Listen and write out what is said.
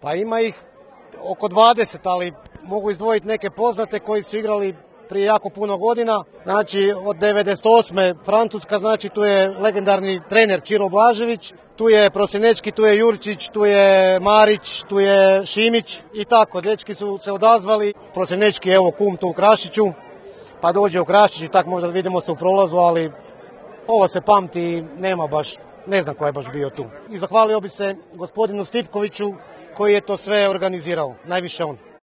Pa ima ih oko 20, ali mogu izdvojiti neke poznate koji su igrali prije jako puno godina. Znači od 98. Francuska, znači tu je legendarni trener Ćiro Blažević, tu je Prosinečki, tu je Jurčić, tu je Marić, tu je Šimić i tako. Dečki su se odazvali. Prosinečki, evo kum tu u Krašiću, pa dođe u Krašić i tako možda vidimo se u prolazu, ali ovo se pamti i nema baš, ne znam ko je baš bio tu. I zahvalio bi se gospodinu Stipkoviću koji je to sve organizirao, najviše on.